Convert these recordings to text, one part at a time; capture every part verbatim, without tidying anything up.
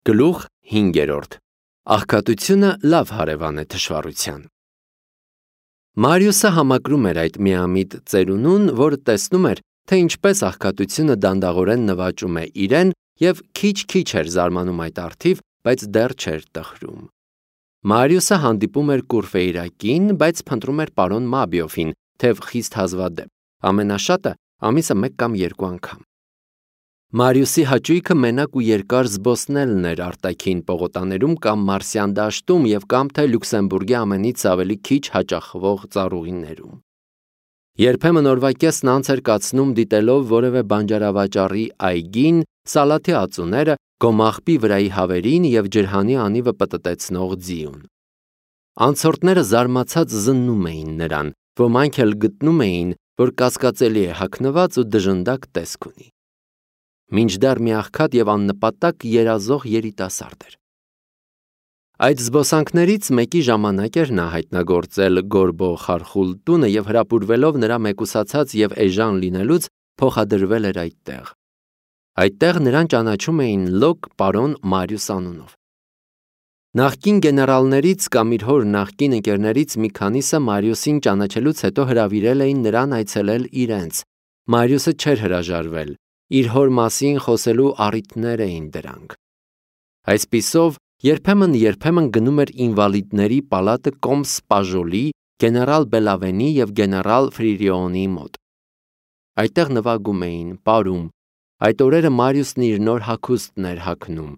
Գլուխ հինգերորդ. Աղքատությունը լավ հարևան է թշվառության։ Մարիուսը համակրում էր այդ միամիտ ծերունուն, որը տեսնում էր, թե ինչպես աղքատությունը դանդաղորեն նվաճում է իրեն և քիչ-քիչ էր զարմանում այդ առթիվ, բայց դեռ չէր տխրում։ Մարիուսը հանդիպում էր Կուրֆեյրակին, բայց փնտրում էր պարոն Մաբիոֆին, թեև խիստ հազվադեպ, ամենաշատը ամիսը մեկ կամ երկու անգամ։ Մարիուսի հաճույքը մենակ ու երկար զբոսնելն էր արտաքին պողոտաներում կամ Մարսյան դաշտում և կամ թե Լյուքսեմբուրգի ամենից ավելի քիչ հաճախվող ծառուղիներում։ Երբեմն օրվա կեսն անց էր կացնում դիտելով որևէ բանջարավաճառի այգին, սալաթի ածուները, գոմաղբի վրայի հավերին և ջրհանի անիվը պտտեցնող ձիուն։ Անցորդները զարմացած զննում էին նրան, ոմանք էլ գտնում էին, որ կասկածելի է հագնված ու դժնդակ տեսք ունի։ Մինչդեռ մի աղքատ և աննպատակ երազող երիտասարդ էր։ Այդ զբոսանքներից մեկի ժամանակ էր նա հայտնագործել Գորբո խարխուլ տունը և հրապուրվելով նրա մեկուսացած և էժան լինելուց փոխադրվել էր այդտեղ։ Այդտեղ նրան ճանաչում էին լոկ պարոն Մարիուս անունով։ Նախկին գեներալներից կամ իր հոր նախկին ընկերներից մի քանիսը Մարիուսին ճանաչելուց հետո հրավիրել էին նրան այցելել իրենց։ Մարիուսը չէր հրաժարվել, իր հոր մասին խոսելու առիթներ էին դրանք։ Այսպիսով, երբեմն-երբեմն գնում էր ինվալիդների պալատը կոմս Պաժոլի, գեներալ Բելավենի և գեներալ Ֆրիրիոնի մոտ։ Այդտեղ նվագում էին, պարում։ Այդ օրերը Մարիուսն իր նոր հագուստն էր հագնում,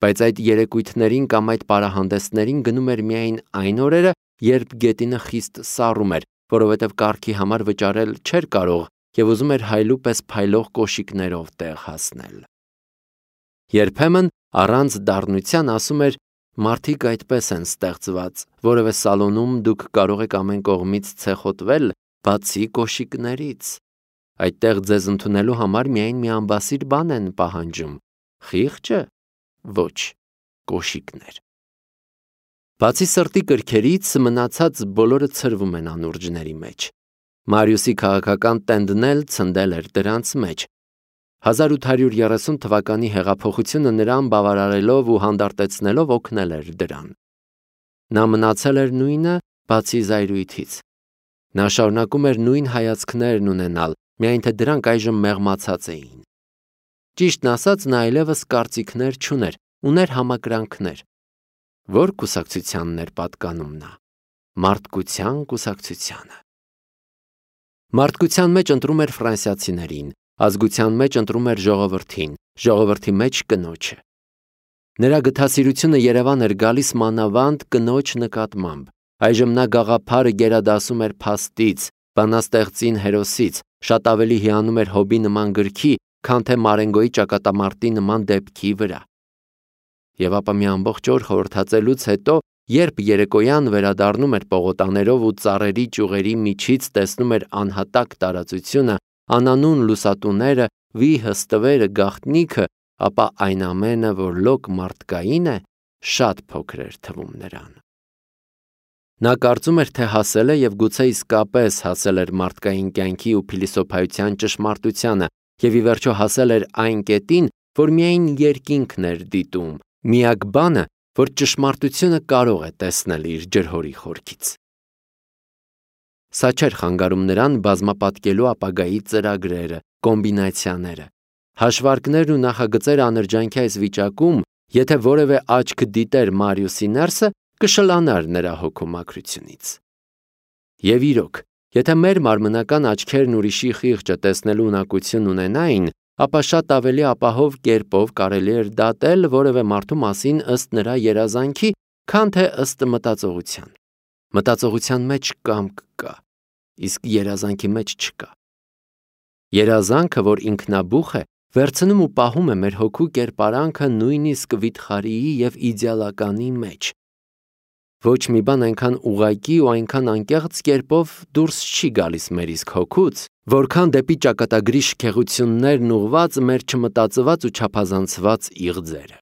բայց այդ երեկույթներին կամ այդ պարահանդեսներին գնում էր միայն այն օրերը, երբ գետինը խիստ սառում էր, որովհետև կառքի համար վճարել չէր կարող և ուզում էր հայլու պես փայլող կոշիկներով տեղ հասնել։ Երբեմն առանց դառնության ասում էր. «Մարդիկ այդպես են ստեղծված, որևէ սալոնում դուք կարող եք ամեն կողմից ցեխոտվել, բացի կոշիկներից։ Այդտեղ ձեզ ընդունելու համար միայն մի անբասիր բան են պահանջում. խիղճը, ոչ, կոշիկներ»։ Բացի սրտի կրքերից, մնացած բոլորը ցրվում են անուրջների մեջ։ Մարիուսի քաղաքական տենդն էլ ցնդել էր դրանց մեջ։ հազար ութ հարյուր երեսուն թվականի հեղափոխությունը նրան բավարարելով ու հանդարտեցնելով օգնել էր դրան։ Նա մնացել էր նույնը, բացի զայրույթից։ Նա շարունակում էր նույն հայացքներն ունենալ, միայն թե դրանք այժմ մեղմացած էին։ Ճիշտն ասած, նա այլևս կարծիքներ չուներ, ուներ համակրանքներ։ Ո՞ր կուսակցությանն էր պատկանում նա։ Մարդկության կուսակցությանը։ Մարդկության մեջ ընտրում էր ֆրանսիացիներին, ազգության մեջ ընտրում էր ժողովրդին, ժողովրդի մեջ կնոջը։ Նրա գթասիրությունը Երևան էր գալիս մանավանդ կնոջ նկատմամբ։ Այժմ նա գաղափարը գերադասում էր փաստից, բանաստեղծին հերոսից, շատ ավելի հիանում էր Հոբի նման գրքի, քան թե Մարենգոյի ճակատամարտի նման դեպքի վրա։ Եվ ապա մի ամբողջ օր խորհրդածելուց հետո, երբ երեկոյան վերադառնում էր պողոտաներով ու ծառերի ճյուղերի միջից տեսնում էր անհատակ տարածությունը, անանուն լուսատուները, վիհը, ստվերը, գաղտնիքը, ապա այն ամենը, որ լոկ մարդկային է, շատ փոքր էր թվում նրան։ Նա կարծում էր, թե հասել է և գուցե իսկապես հասել էր մարդկային կյանքի ու փիլիսոփայության ճշմարտությանը և ի վերջո հասել էր այն կետին, որ միայն երկինքն էր դիտում, միակ բանը, որ ճշմարտությունը կարող է տեսնել իր ջրհորի խորքից։ Սա չէր խանգարում նրան բազմապատկելու ապագայի ծրագրերը, կոմբինացիաները, հաշվարկներն ու նախագծերը անրջանքի այս վիճակում, եթե որևէ աչք դիտեր Մարիուսի ներսը, կշլանար նրա հոգու մաքրությունից։ Եվ իրոք, եթե մեր մարմնական աչքերն ուրիշի խիղճը տեսնելու ունակություն ունենային, ապա շատ ավելի ապահով կերպով կարելի էր դատել որևէ մարդու մասին ըստ նրա երազանքի, քան թե ըստ մտածողության։ Մտածողության մեջ կամք կա, իսկ երազանքի մեջ չկա։ Երազանքը, որ ինքնաբուխ է, վերցնում ու պահում է մեր հոգու կերպարանքը նույնիսկ վիթխարիի և իդեալականի մեջ։ Ոչ մի բան այնքան ուղղակի ու այնքան անկեղծ կերպով դուրս չի գալիս մեր իսկ հոգուց, որքան դեպի ճակատագրի շքեղություններն ուղղված մեր չմտածված ու չափազանցված իղձերը։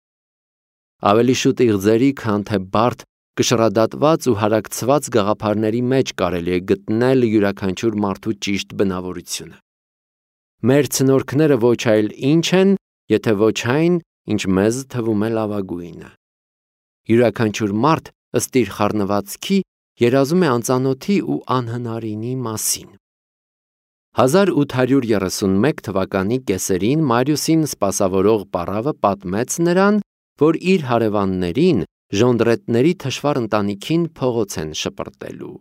Ավելի շուտ իղձերի, քան թե բարդ, կշռադատված ու հարակցված գաղափարների մեջ կարելի է գտնել յուրաքանչյուր մարդու ճիշտ բնավորությունը։ Մեր ցնորքները ոչ այլ ինչ են, եթե ոչ այն, ինչ մեզ թվում է լավագույնը։ Յուրաքանչյուր մարդ ըստ իր խառնվածքի երազում է անծանոթի ու անհնարինի մասին։ հազար ութ հարյուր երեսունմեկ թվականի կեսերին Մարիուսին սպասավորող պառավը պատմեց նրան, որ իր հարևաններին ժոնդրետների թշվառ ընտանիքին փողոց են շպրտելու։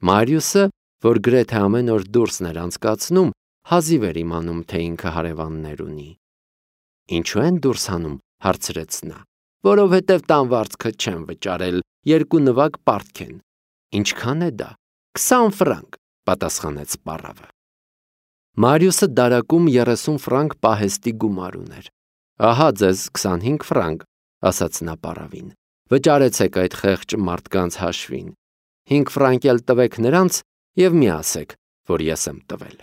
Մարիուսը, որ գրեթե ամեն օր դուրսն էր անցկացնում, հազիվ էր իմանում, թե ինքը հարևաններ ունի։ Ինչու են դուրս հանում, հարցրեց նա։ Որովհետև տան վարձքը չեմ վճարել, երկու նվագ պարտք են։ Ինչքան է դա։ Քսան ֆրանկ, պատասխանեց պառավը։ Մարիուսը դարակում երեսուն ֆրանկ պահեստի գումար ուներ։ Ահա ձեզ քսանհինգ ֆրանկ, ասաց նա պառավին։ Վճարեցեք այդ խեղճ մարդկանց հաշվին։ Հինգ ֆրանկ էլ տվեք նրանց և մի ասեք, որ ես եմ տվել։